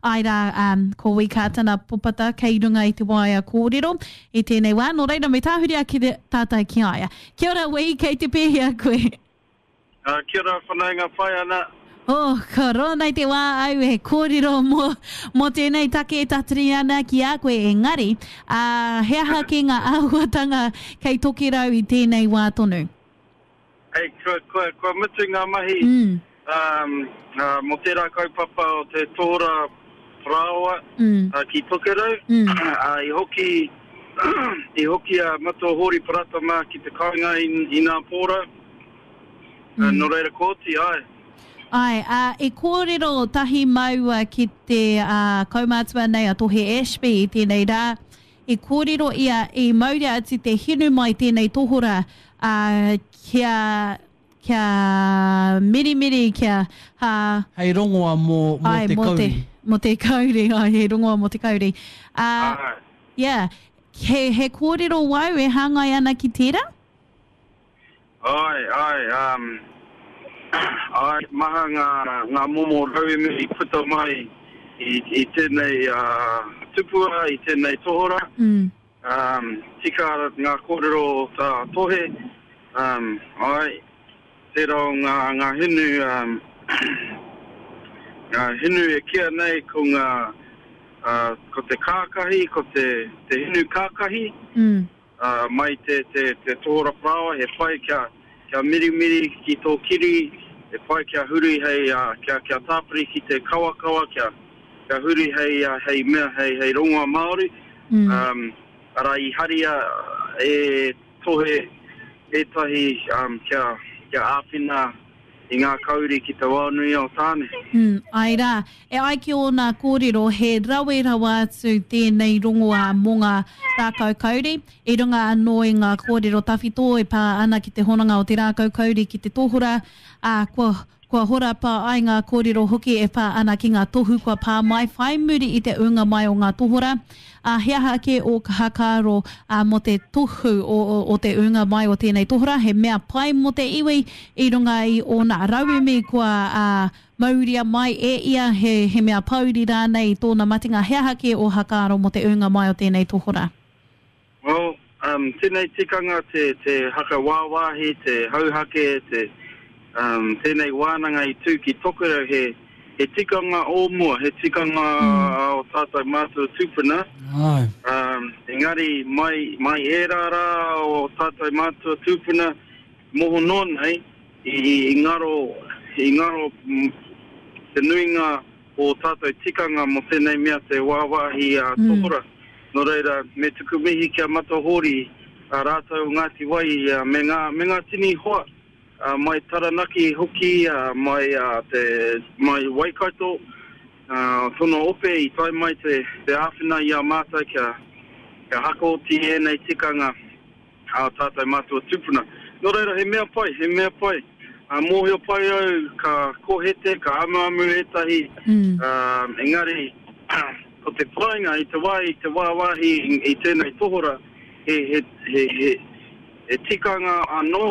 Āe rā, um, ko Wi Kātana Popata kei runga i te waea kōrero i tēnei wā, nō reira me tāhuri ake tātou ki a ia. Kia ora Wi, kei te pēhea koe? Uh, kia ora whanaunga pai ana. Oh, ka roa nei te wā au e kōrero mō, mō tēnei take e tatari ana ki a koe, engari, ā, he aha kē ngā āhuatanga kei Tokerau i tēnei wā tonu? Hei, kua, kua, kua mutu ngā mahi mm. um, uh, mō tērā kaupapa o te tohora parāoa mm. uh, ki Tokerau. Mm. Uh, i hoki, i hoki a Matua Hōri Parata mā ki te kāinga i, i nā pōra. Mm. Nō reira kōti, āe. Āe, ā, i kōrero tahi māua ki te ā, kaumātua nei a Tohe Ashby i tēnei rā, i kōrero ia i mauria atu te hinu mai tēnei tohora, ā, kia, kia mirimiri, kia, ā, Hei rongoa mō, mō āe, te mō te, kauri. mō te kauri, āe, hei rongoa mō te kauri. Ā, Āe. yeah, he, he kōrero wau e hāngai ana ki tērā? Āe, āe, um, āe, maha ngā, ngā momo rauemi i puta mai i, i tēnei uh, tupua, i tēnei tohora. Mm. Um, tika ngā kōrero o tā Tohe, um, āe, tērā o ngā, ngā hinu, um, ngā hinu e kīa nei ko ngā, uh, ko te kākahi, ko te, te hinu kākahi, mm. Ā, mai te, te, te tohora parāoa, he pai kia, kia mirimiri ki tō kiri, he pai kia huri hei, ā, kia, kia tāpiri ki te kawakawa, kia, kia huri hei, ā, hei mea, hei, hei rongoa Māori. Mm. Um, arā, i haria e Tohe ētahi, um, kia, kia āwhina i ngā kauri ki te wao nui o Tāne. Mm, āe rā. E ai ki ōna kōrero, he rawe rawa atu tēnei rongoā mō ngā rākau kauri, i runga anō i ngā kōrero tawhito e pā ana ki te hononga o te rākau kauri ki te tohora, ā, kua, kua horapa ai ngā kōrero hoki e pā ana ki ngā tohu kua pā mai whai muri i te ūnga mai o ngā tohora. Ā, he aha kē ō whakaaro mō te tohu o te ūnga mai o tēnei tohora, he mea pai mō te iwi i runga i ōna rauemi kua mauria mai e ia, he mea pōuri rānei i tōna matenga, he aha kē ō whakaaro mō te ūnga mai o tēnei tohora? Well, um, tēnei tikanga te, te haka wāwāhi, te hauhake, te, um, tēnei wānanga i tū ki Tokerau, he, he tikanga o mua, he tikanga mm. o tātou mātua tūpuna. Ai. Um, engari, mai, mai ērā rā o tātou mātua tūpuna, moho noa nei, i, i ngaro, i ngaro te nuinga o tātou tikanga mō tēnei mea te wāwāhi a mm. tohora. Nō reira, me tuku mihi ki a Mata Hōri, a rātou o Ngāti Wai, me ngā, me ngā tini hoa, mai Taranaki hoki, mai, te, mai Waikato, tono ope i tae mai te, te āwhina i a mātou kia, kia hakaoti ēnei tikanga. ā tātou mātua tūpuna. Nō reira, he mea pai, he mea pai. Ā, mōhio pai au ka kohete, ka amuamu ētahi, ā, engari, ko te painga i te wā i te wāwāhi i tēnei tohora, he, he, he, he, he tikanga anō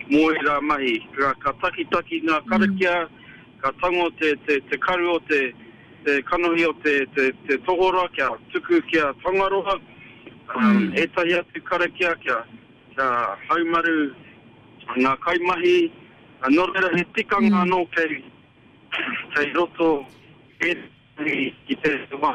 mō ērā mahi. Ka, ka takitaki ngā karakia, ka tango te, te, te karu o te, te kanohi o te, te, te tohora kia tuku ki a Tangaroa, um, ētahi atu karakia kia, kia haumaru ngā kaimahi. Nō reira, he tikanga anō kei, kei roto ētahi ki te wā.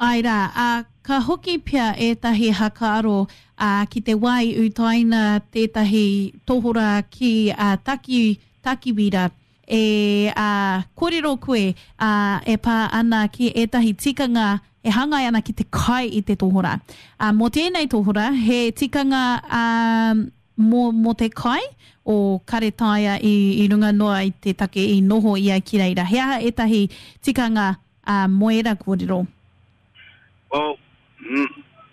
Āe rā, ā, ka hoki pea ētahi hakaaro, ā, ki te wā i utaina tētahi tohora ki a Taki, Takiwira, E, ā, kōrero koe, ā, e pā ana ki ētahi tikanga e hāngai ana ki te kai i te tohora. Ā, mō tēnei tohora, he tikanga, ā, mō, mō te kai o Karetaia i, i runga noa i te take i noho ia ki reira. He aha ētahi tikanga, ā, mō ērā kōrero? Well,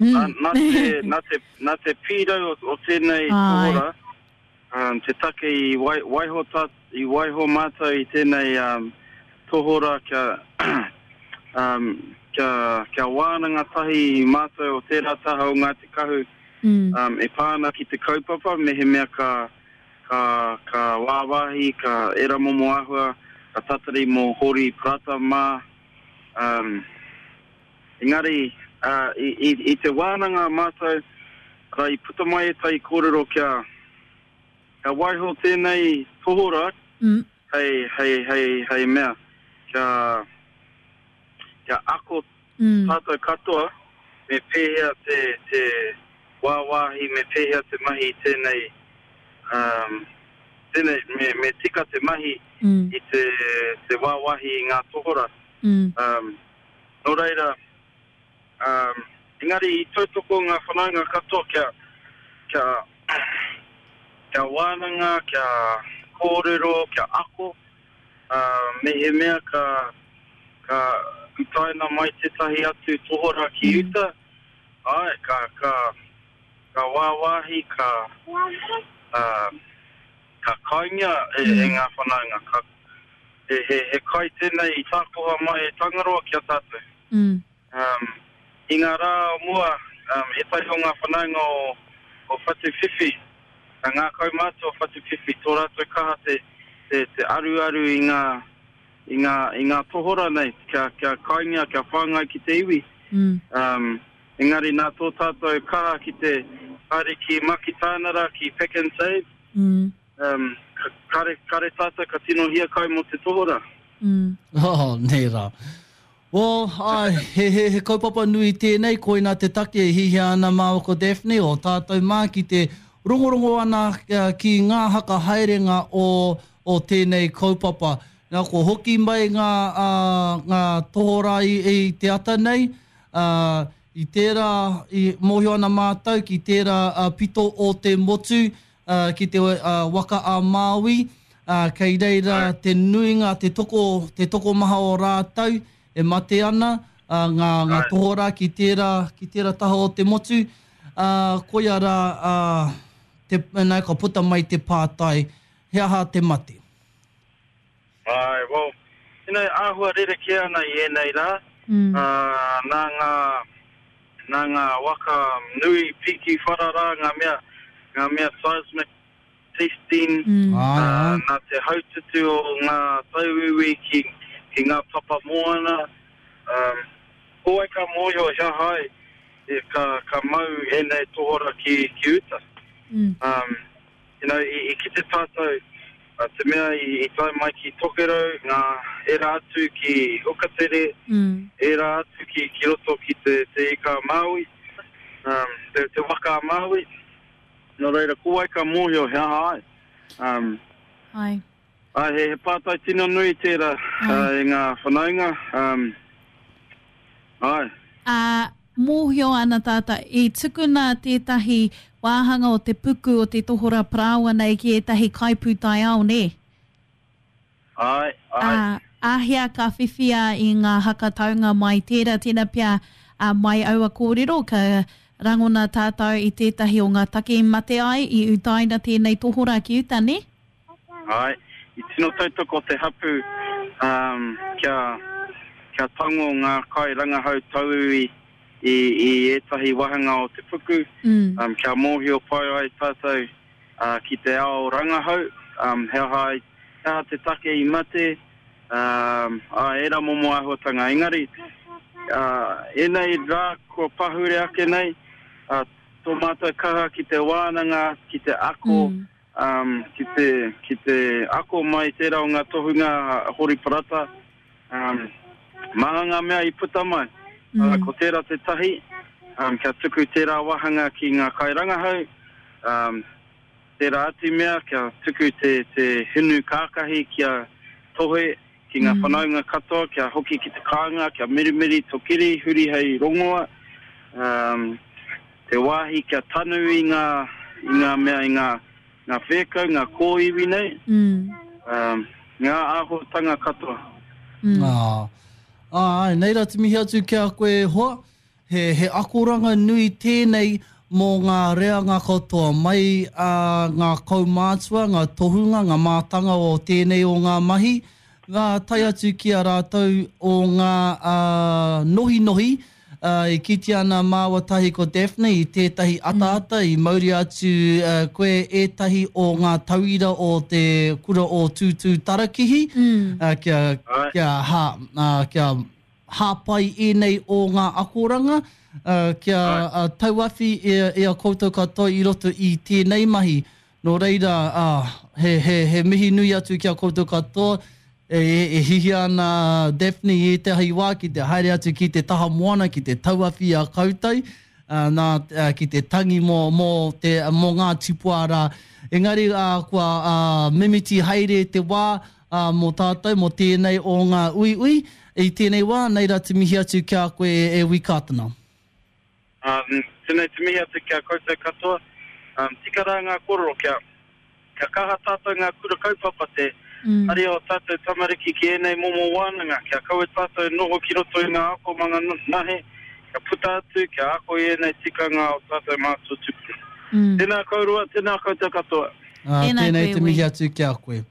nā, nā te, nā te, nā te pīrau o, o tēnei tohora, Um, te take i wai, waiho, tā, i waiho mātou i tēnei um, tohora kia, um, kia, kia wānanga tahi mātou o tērā taha o Ngāti Kahu mm. um, e pā ana ki te kaupapa, mehemea ka, ka, ka wāwāhi, ka era momo āhua, ka tatari mō Hori Parata mā. Um, engari, uh, i, i, i te wānanga mātou, arā, i puta mai ētahi kōrero kia, kia waiho tēnei tohora mm. hei, hei, hei, hei mea, kia, kia ako mm. tātou katoa me pēhea te, te wāwāhi, me pēhea te mahi i tēnei, um, tēnei, me, me tika te mahi mm. i te, te wāwāhi i ngā tohora. Mm. Um, nō reira, um, engari i tautoko ngā whanaunga katoa kia, kia, kia wānanga, kia kōrero, kia ako, ā, mehemea ka, ka utaina mai tētahi atu tohora ki uta, āe, ka, ka, ka wāwāhi, ka, ā, ka kaingia e, e ngā whanaunga. Ka, he, he, he kai tēnei i tākoha mai e Tangaroa ki a tātou. Mm. Um, I ngā rā o mua, um, ētahi o ngā whanaunga o, o Whatuwhiwhi, ngā kaumātua o Whatuwhiwhi, tō rātou kaha te, te, te aruaru i ngā, i ngā, i ngā tohora nei, kia, kia kainga, kia whāngai ki te iwi. Mm. Um, engari nā tō tātou kaha ki te haere ki Makitānara, ki Pack and Save, mm. um, kare, kare tātou ka tino hiakai mō te tohora. Mm. Oh, nē rā. Well, āe, he, he, he kaupapa nui tēnei, koina te take e hihia ana māua ko Daphne, o tātou mā ki te rongorongo ana ki ngā haka haerenga o, o tēnei kaupapa. Nā, kua hoki mai ngā, ā, ngā tohorā i, i te ata nei, ā, i tērā, i mōhio ana mātou ki tērā pito o te motu, ā, ki te waka a Māui, ā, kei reira te nuinga, te toko, te tokomaha o rātou e mate ana, ā, ngā, ngā tohorā ki tērā, ki tērā taha o te motu, ā, koia rā, ā, te, nā, ka puta mai te pātai, he aha te mate? Āe, well, you know, āhua rerekē ana i ēnei rā, ā, nā ngā, nā ngā waka nui piki whara rā, ngā mea, ngā mea seismic testing, ā, nā te haututu o ngā tauiwi ki, ki ngā papa moana, ā, ko wai ka mōhio he aha ai e, ka, ka mau ēnei tohora ki, ki uta. Ā, You know, i, i kite tātou, uh, te mea i, i tae mai ki Tokerau, ngā ērā atu ki Hukatere, mm. ērā atu ki, ki roto ki te, te Ika a Māui, um, te, te waka a Māui. Nō reira, ko wai ka mōhio he aha ai. Um, ai. Ai, he, he pātai tino nui tērā uh, e ngā whanaunga. Um, ai. Ā, mōhio ana tātou, i tukuna tētahi wāhanga o te puku o te tohora parāoa nei ki ētahi kaipūtaiao, nē? Āe, āe. Ā, āhea ka whiwhia i ngā hakataunga mai tērā, tēnā pea, ā, mai aua kōrero, ka rangona tātou i tētahi o ngā take i mate ai, i utaina tēnei tohora ki uta, nē? Āe, i tino tautoko te hapū kia, kia tango ngā kairangahau tauiwi i, i ētahi wāhanga o te puku, kia mōhio pai ai tātou ki te ao rangahau, he aha ai, he aha te take i mate, ā, ērā momo āhuatanga. Engari, ēnei rā kua pahure ake nei, tō mātou kaha ki te wānanga, ki te ako, Um, ki te, ki te ako mai tērā o ngā tohunga a Hori Parata, um, maha ngā mea i puta mai. Mm. Uh, ko tērā te tahi, um, kia tuku tērā wāhanga ki ngā kairangahau, um, tērā atu mea, kia tuku te, te hinu kākahi kia tohe ki ngā mm. whanaunga katoa, kia hoki ki te kāinga, kia mirimiri to kiri, huri hei rongoa, um, Te wāhi kia tanu i ngā, i ngā mea, i ngā, ngā whēkau, ngā kōiwi nei, um, ngā āhuatanga katoa. Mm. Ah, āe, nei rā te mihi atu ki a koe e hoa. He, he akoranga nui tēnei mō ngā reanga katoa, mai a ngā kaumātua, ngā tohunga, ngā mātanga o tēnei o ngā mahi, ngā tae atu ki a rātou o ngā nohinohi, I kitea ana māua tahi ko Daphne i tētahi ataata i mauria atu koe ētahi o ngā tauira o te kura o Tūtū Tarakihi kia, kia, ha, kia. hāpai ēnei o ngā akoranga, kia tauawhi i a koutou katoa i roto i tēnei mahi. Nō reira, he, he, he mihi nui atu ki a koutou katoa. E, e hihia ana a Daphne i ētahi wā ki te haere atu ki te taha moana, ki te tauawhi i a koutou, nā, ki te tangi mō, mō te, mō ngā tipua rā. Engari, kua mimiti haere te wā, mō tātou, mō tēnei o ngā uiui. I tēnei wā, nei rā te mihi atu ki a koe e Wi Kātana. Tēnei te mihi atu ki a koutou katoa. Tika rā ngā kōrero kia, kia kaha tātou ngā kura kaupapa te hari o tātou tamariki ki ēnei momo wānanga, kia kaua tātou noho ki roto i ngā akomanga nahe, kia puta atu, kia ako i ēnei tikanga o tātou mātua tūpuna. Tēnā kōrua, tēnā koutou katoa. Tēnei te mihi atu ki a koe.